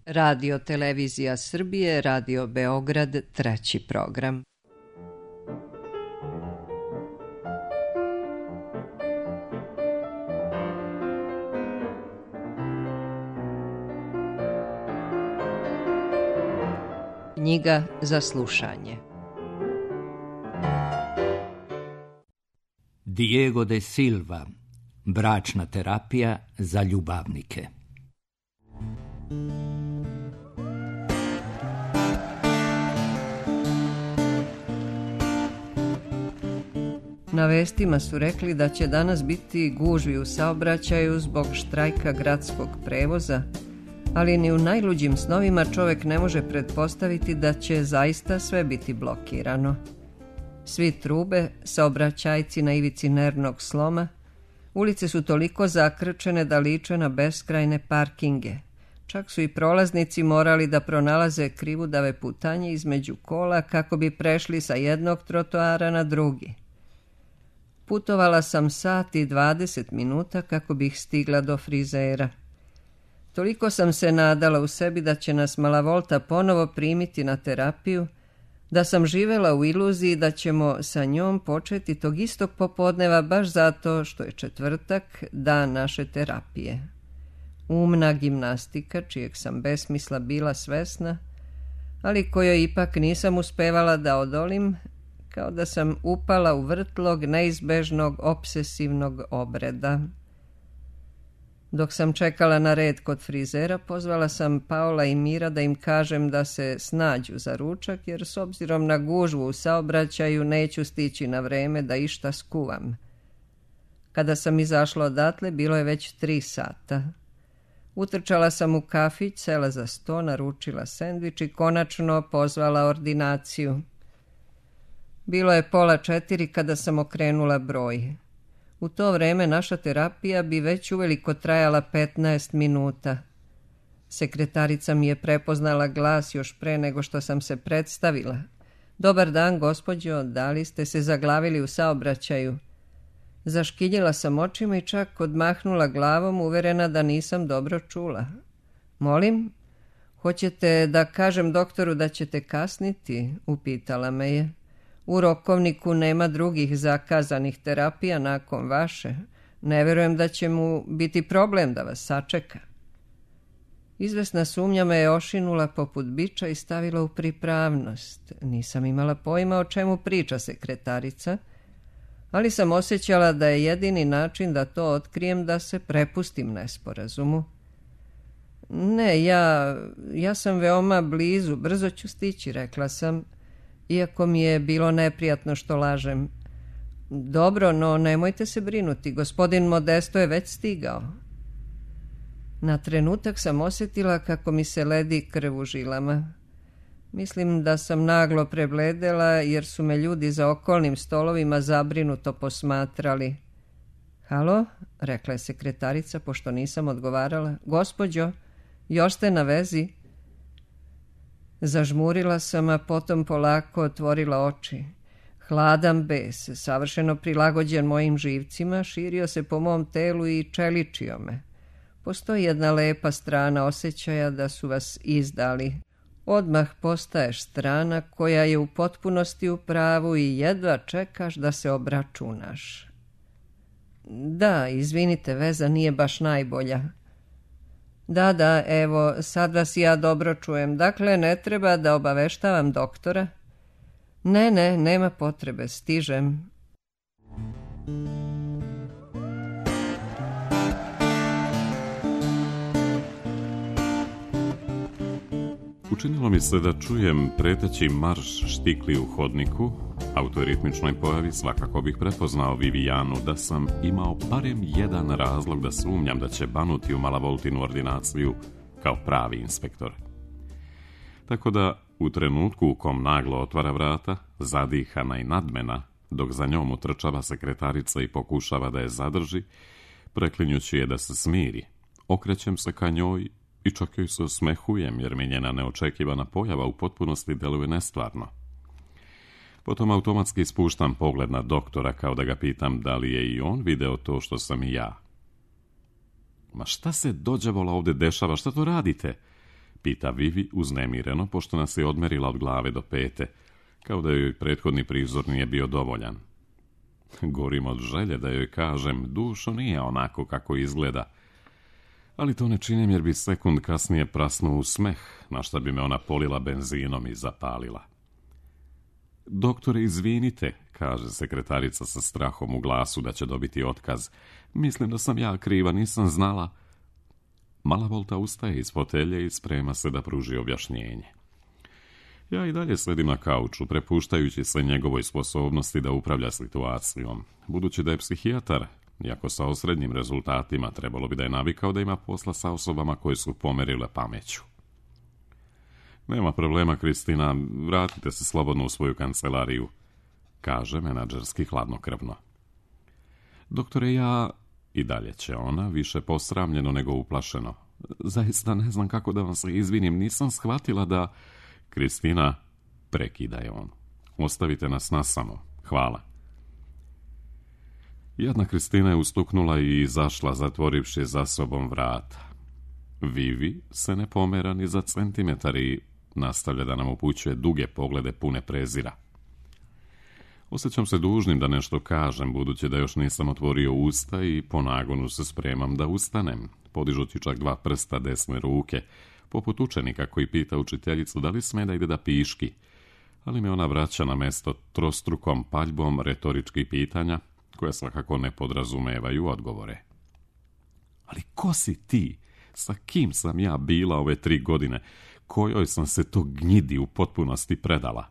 Radio Televizija Srbije, Radio Beograd, treći program. Knjiga za slušanje. Diego de Silva, bračna terapija za ljubavnike. Na vestima su rekli da će danas biti gužvi u saobraćaju zbog štrajka gradskog prevoza, ali ni u najluđim snovima čovjek ne može pretpostaviti da će zaista sve biti blokirano. Svi trube, saobraćajci na ivici nervnog sloma, ulice su toliko zakrčene da liče na beskrajne parkinge. Čak su i prolaznici morali da pronalaze krivudave putanje između kola kako bi prešli sa jednog trotoara na drugi. Putovala sam sat i 20 minuta kako bih stigla do frizera. Toliko sam se nadala u sebi da će nas Malavolta ponovo primiti na terapiju, da sam živela u iluziji da ćemo sa njom početi tog istog popodneva baš zato što je četvrtak, dan naše terapije. Umna gimnastika, čijeg sam besmisla bila svesna, ali kojoj ipak nisam uspevala da odolim, kao da sam upala u vrtlog neizbežnog obsesivnog obreda. Dok sam čekala na red kod frizera, pozvala sam Paola i Mira da im kažem da se snađu za ručak, jer s obzirom na gužvu u saobraćaju neću stići na vreme da išta skuvam. Kada sam izašla odatle, bilo je već 3 sata. Utrčala sam u kafić, sela za sto, naručila sendvič i konačno pozvala ordinaciju. Bilo je 3:30 kada sam okrenula broj. U to vreme naša terapija bi već uveliko trajala 15 minuta. Sekretarica mi je prepoznala glas još pre nego što sam se predstavila. Dobar dan, gospođo, da li ste se zaglavili u saobraćaju? Zaškiljila sam očima i čak odmahnula glavom, uverena da nisam dobro čula. Molim, hoćete da kažem doktoru da ćete kasniti? Upitala me je. U rokovniku nema drugih zakazanih terapija nakon vaše. Ne verujem da će mu biti problem da vas sačeka. Izvesna sumnja me je ošinula poput biča i stavila u pripravnost. Nisam imala pojma o čemu priča sekretarica, ali sam osjećala da je jedini način da to otkrijem da se prepustim nesporazumu. Ne, ja sam veoma blizu, brzo ću stići, rekla sam, iako mi je bilo neprijatno što lažem. Dobro, no nemojte se brinuti, gospodin Modesto je već stigao. Na trenutak sam osjetila kako mi se ledi krv u žilama. Mislim da sam naglo prebledela jer su me ljudi za okolnim stolovima zabrinuto posmatrali. Halo, rekla je sekretarica pošto nisam odgovarala. Gospođo, još ste na vezi? Zažmurila sam, a potom polako otvorila oči. Hladan bes, savršeno prilagođen mojim živcima, širio se po mom telu i čeličio me. Postoji jedna lepa strana osjećaja da su vas izdali. Odmah postaješ strana koja je u potpunosti u pravu i jedva čekaš da se obračunaš. Da, izvinite, veza nije baš najbolja. Da, evo, sad vas ja dobro čujem. Dakle, ne treba da obaveštavam doktora? Ne, nema potrebe, stižem. Učinilo mi se da čujem preteći marš štikli u hodniku, a u toj ritmičnoj pojavi svakako bih prepoznao Vivijanu da sam imao barem jedan razlog da sumnjam da će banuti u Malavoltinu ordinaciju kao pravi inspektor. Tako da, u trenutku u kom naglo otvara vrata, zadihana i nadmena, dok za njom utrčava sekretarica i pokušava da je zadrži, preklinjući je da se smiri, okrećem se ka njoj i čak joj se osmehujem jer mi njena neočekivana pojava u potpunosti deluje nestvarno. Potom automatski spuštam pogled na doktora kao da ga pitam da li je i on video to što sam i ja. Ma šta se dođavola ovdje dešava, šta to radite? pita Vivi uznemireno, pošto nas je odmerila od glave do pete, kao da joj prethodni prizor nije bio dovoljan. Gorim od želje da joj kažem, dušo nije onako kako izgleda, ali to ne činim jer bi sekund kasnije prasnuo u smeh, na šta bi me ona polila benzinom i zapalila. Doktore, izvinite, kaže sekretarica sa strahom u glasu da će dobiti otkaz. Mislim da sam ja kriva, nisam znala. Mala Volta ustaje iz fotelje i sprema se da pruži objašnjenje. Ja i dalje sedim na kauču, prepuštajući se njegovoj sposobnosti da upravlja situacijom. Budući da je psihijatar, iako sa osrednjim rezultatima, trebalo bi da je navikao da ima posla sa osobama koje su pomerile pameću. Nema problema, Kristina, vratite se slobodno u svoju kancelariju, kaže menadžerski hladnokrvno. Doktore, ja... I dalje će ona, više posramljeno nego uplašeno. Zaista ne znam kako da vam se izvinim, nisam shvatila da... Kristina, prekida je on. Ostavite nas nasamo, hvala. Jadna Kristina je ustuknula i izašla, zatvorivši za sobom vrata. Vivi se ne pomera ni za centimetar i nastavlja da nam upućuje duge poglede pune prezira. Osjećam se dužnim da nešto kažem, budući da još nisam otvorio usta i po nagonu se spremam da ustanem, podižući čak 2 prsta desne ruke, poput učenika koji pita učiteljicu da li sme da ide da piški, ali me ona vraća na mesto trostrukom paljbom retoričkih pitanja, koja svakako ne podrazumevaju odgovore. Ali ko si ti? Sa kim sam ja bila ove 3 godine? Kojoj sam se to gnjidi u potpunosti predala?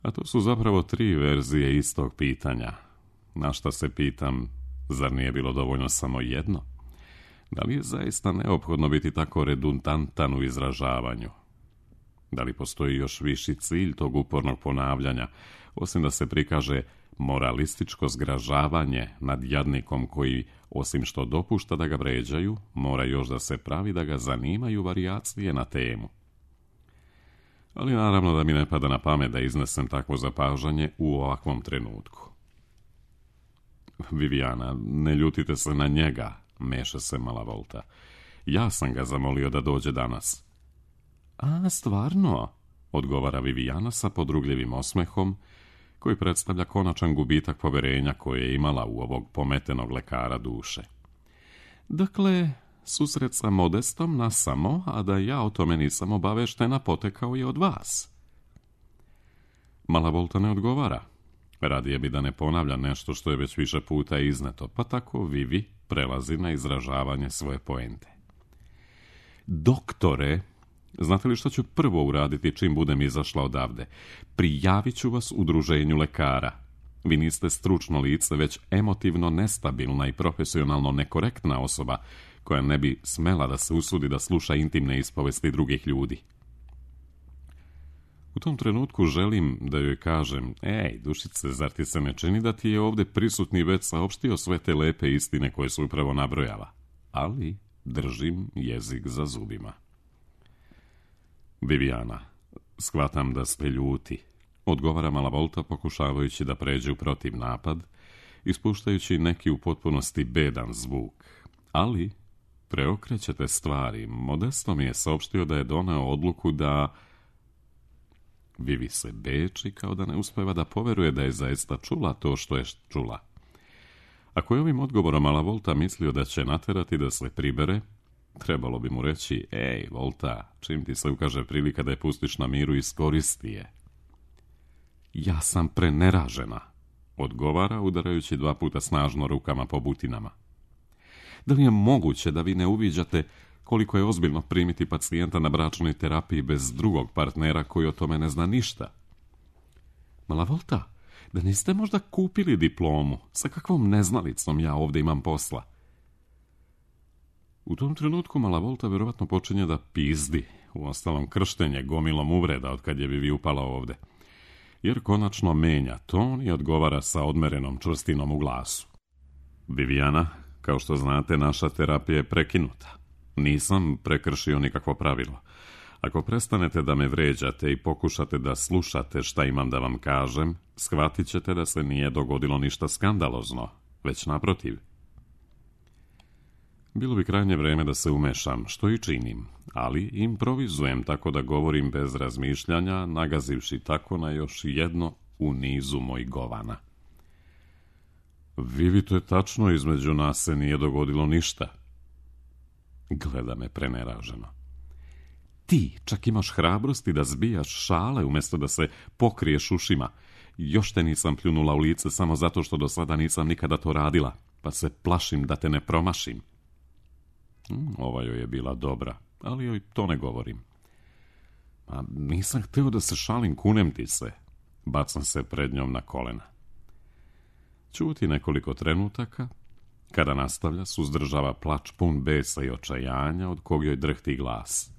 A to su zapravo 3 verzije istog pitanja. Na šta se pitam, zar nije bilo dovoljno samo jedno? Da li je zaista neophodno biti tako redundantan u izražavanju? Da li postoji još viši cilj tog upornog ponavljanja, osim da se prikaže moralističko zgražavanje nad jadnikom koji, osim što dopušta da ga vređaju, mora još da se pravi da ga zanimaju varijacije na temu? Ali naravno da mi ne pada na pamet da iznesem takvo zapažanje u ovakvom trenutku. Viviana, ne ljutite se na njega, meša se Mala Volta. Ja sam ga zamolio da dođe danas. A, stvarno, odgovara Viviana sa podrugljivim osmehom, koji predstavlja konačan gubitak poverenja koje je imala u ovog pometenog lekara duše. Dakle, susret sa Modestom nasamo, a da ja o tome nisam obaveštena, potekao je od vas. Mala Volta ne odgovara. Radije bi da ne ponavlja nešto što je već više puta izneto, pa tako Vivi prelazi na izražavanje svoje poente. Doktore, znate li što ću prvo uraditi čim budem izašla odavde? Prijavit ću vas udruženju lekara. Vi niste stručno lice, već emotivno nestabilna i profesionalno nekorektna osoba koja ne bi smela da se usudi da sluša intimne ispovesti drugih ljudi. U tom trenutku želim da joj kažem, ej, dušice, zar ti se ne čini da ti je ovdje prisutni već saopštio sve te lepe istine koje su upravo nabrojala? Ali držim jezik za zubima. Viviana, shvatam da ste ljuti, odgovara Mala Volta pokušavajući da pređe u protiv napad, ispuštajući neki u potpunosti bedan zvuk. Ali preokrećete stvari. Modesto mi je saopštio da je doneo odluku da... Vivi se beči kao da ne uspeva da poveruje da je zaista čula to što je čula. Ako je ovim odgovorom Mala Volta mislio da će naterati da se pribere, trebalo bi mu reći, ej, Volta, čim ti se ukaže prilika da je pustiš na miru, iskoristi je. Ja sam preneražena, odgovara, udarajući 2 puta snažno rukama po butinama. Da li je moguće da vi ne uviđate koliko je ozbiljno primiti pacijenta na bračnoj terapiji bez drugog partnera koji o tome ne zna ništa? Mala Volta, da niste možda kupili diplomu? Sa kakvom neznalicom ja ovdje imam posla? U tom trenutku Mala Volta vjerovatno počinje da pizdi, uostalom krštenje gomilom uvreda od kad je Vivi upala ovdje, jer konačno menja ton i odgovara sa odmerenom čvrstinom u glasu. Viviana, kao što znate, naša terapija je prekinuta. Nisam prekršio nikakvo pravilo. Ako prestanete da me vređate i pokušate da slušate šta imam da vam kažem, shvatit ćete da se nije dogodilo ništa skandalozno, već naprotiv. Bilo bi krajnje vreme da se umešam, što i činim, ali improvizujem tako da govorim bez razmišljanja, nagazivši tako na još jedno u nizu mojih govana. Vivi, to je tačno, između nas se nije dogodilo ništa. Gleda me preneraženo. Ti čak imaš hrabrosti da zbijaš šale umjesto da se pokriješ ušima. Još te nisam pljunula u lice samo zato što do sada nisam nikada to radila, pa se plašim da te ne promašim. Ova joj je bila dobra, ali joj to ne govorim. A nisam hteo da se šalim, kunem ti se. Bacam se pred njom na kolena. Ćuti nekoliko trenutaka, kada nastavlja, suzdržava plač pun besa i očajanja, od kog joj drhti glas.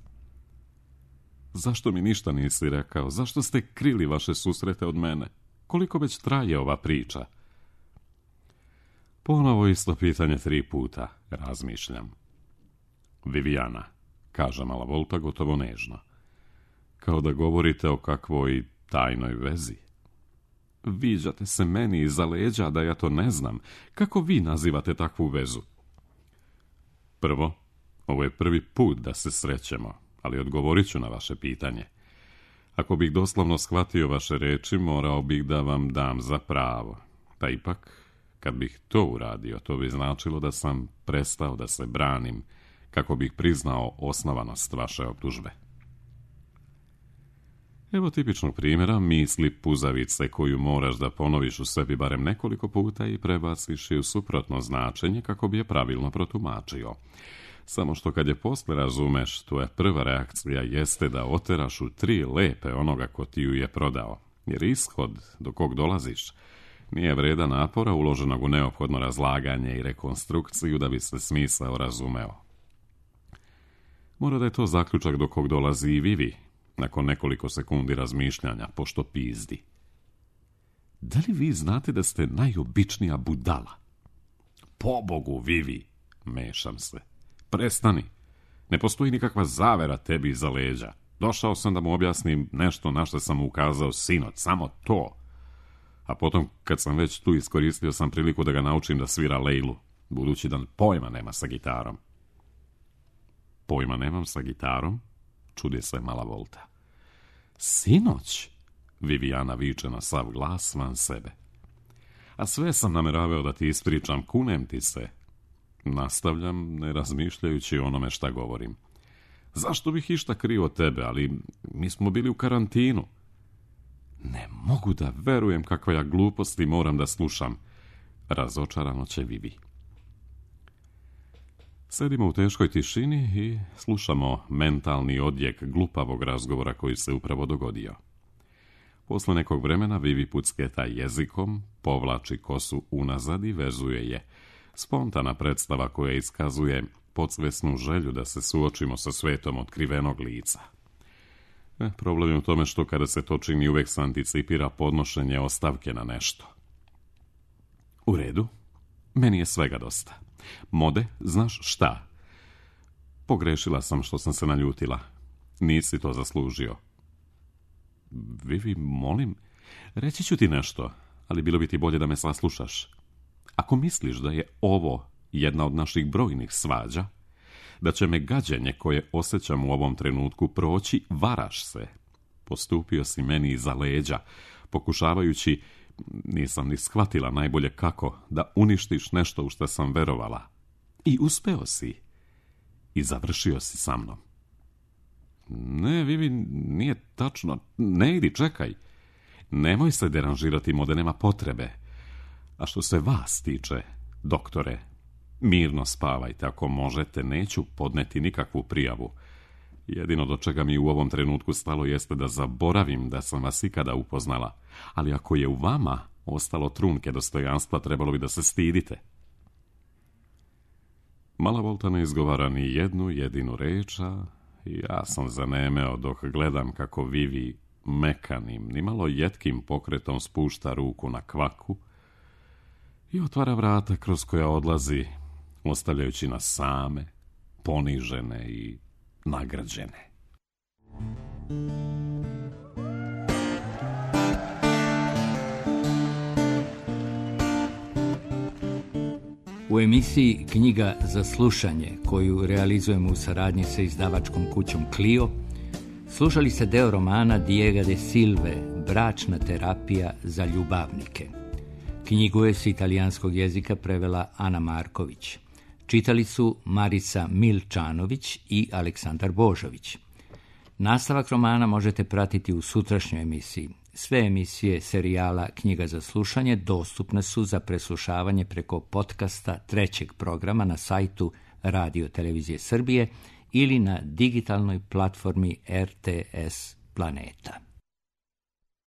Zašto mi ništa nisi rekao? Zašto ste krili vaše susrete od mene? Koliko već traje ova priča? Ponovo isto pitanje 3 puta, razmišljam. Vivijana, kaže Malavolta gotovo nežno. Kao da govorite o kakvoj tajnoj vezi. Viđate se meni iza leđa da ja to ne znam. Kako vi nazivate takvu vezu? Prvo, ovo je prvi put da se srećemo, ali odgovorit ću na vaše pitanje. Ako bih doslovno shvatio vaše reči, morao bih da vam dam za pravo. Pa ipak, kad bih to uradio, to bi značilo da sam prestao da se branim, kako bih priznao osnovanost vaše optužbe. Evo tipičnog primjera misli puzavice koju moraš da ponoviš u sebi barem nekoliko puta i prebaciš je u suprotno značenje kako bi je pravilno protumačio. Samo što kad je posle razumeš, tvoja prva reakcija jeste da oteraš u 3 lepe onoga ko ti ju je prodao, jer ishod do kog dolaziš nije vredan napora uloženog u neophodno razlaganje i rekonstrukciju da bi se smisao razumeo. Mora da je to zaključak do kog dolazi i Vivi, nakon nekoliko sekundi razmišljanja, pošto pizdi. Da li vi znate da ste najobičnija budala? Pobogu, Vivi, mešam se. Prestani. Ne postoji nikakva zavera tebi iza leđa. Došao sam da mu objasnim nešto na što sam mu ukazao sinoć, samo to. A potom, kad sam već tu, iskoristio sam priliku da ga naučim da svira lejlu, budući da pojma nema sa gitarom. Pojma nemam sa gitarom? Čudi se Malavolta. Sinoć? Vivijana viče na sav glas van sebe. A sve sam nameravao da ti ispričam, kunem ti se. Nastavljam, ne razmišljajući o onome šta govorim. Zašto bih išta krio od tebe, ali mi smo bili u karantinu. Ne mogu da verujem kakva ja gluposti moram da slušam. Razočarano će Vivi. Sedimo u teškoj tišini i slušamo mentalni odjek glupavog razgovora koji se upravo dogodio. Posle nekog vremena Vivi pucketa jezikom, povlači kosu unazad i vezuje je. Spontana predstava koja iskazuje podsvesnu želju da se suočimo sa svetom otkrivenog lica. Problem je u tome što kada se to čini uvek se anticipira podnošenje ostavke na nešto. U redu, meni je svega dosta. Mode, znaš šta? Pogrešila sam što sam se naljutila. Nisi to zaslužio. Vivi, molim, reći ću ti nešto, ali bilo bi ti bolje da me saslušaš. Ako misliš da je ovo jedna od naših brojnih svađa, da će me gađenje koje osjećam u ovom trenutku proći, varaš se. Postupio si meni iza leđa, pokušavajući, nisam ni shvatila najbolje kako, da uništiš nešto u što sam verovala. I uspeo si. I završio si sa mnom. Ne, Vivi, nije tačno. Ne idi, čekaj. Nemoj se deranžirati, Mode, nema potrebe. A što se vas tiče, doktore, mirno spavajte ako možete, neću podneti nikakvu prijavu. Jedino do čega mi u ovom trenutku stalo jeste da zaboravim da sam vas ikada upoznala, ali ako je u vama ostalo trunke dostojanstva, trebalo bi da se stidite. Malavolta ne izgovara ni jednu jedinu reč, a ja sam zanemeo dok gledam kako Vivi mekanim, nimalo jetkim pokretom spušta ruku na kvaku i otvara vrata kroz koja odlazi, ostavljajući nas same, ponižene i nagrađene. U emisiji Knjiga za slušanje, koju realizujemo u saradnji sa izdavačkom kućom Clio, slušali ste deo romana Diega de Silve, Bračna terapija za ljubavnike. Knjigu je s italijanskog jezika prevela Ana Marković. Čitali su Marica Milčanović i Aleksandar Božović. Nastavak romana možete pratiti u sutrašnjoj emisiji. Sve emisije serijala Knjiga za slušanje dostupne su za preslušavanje preko podcasta 3. programa na sajtu Radio Televizije Srbije ili na digitalnoj platformi RTS Planeta.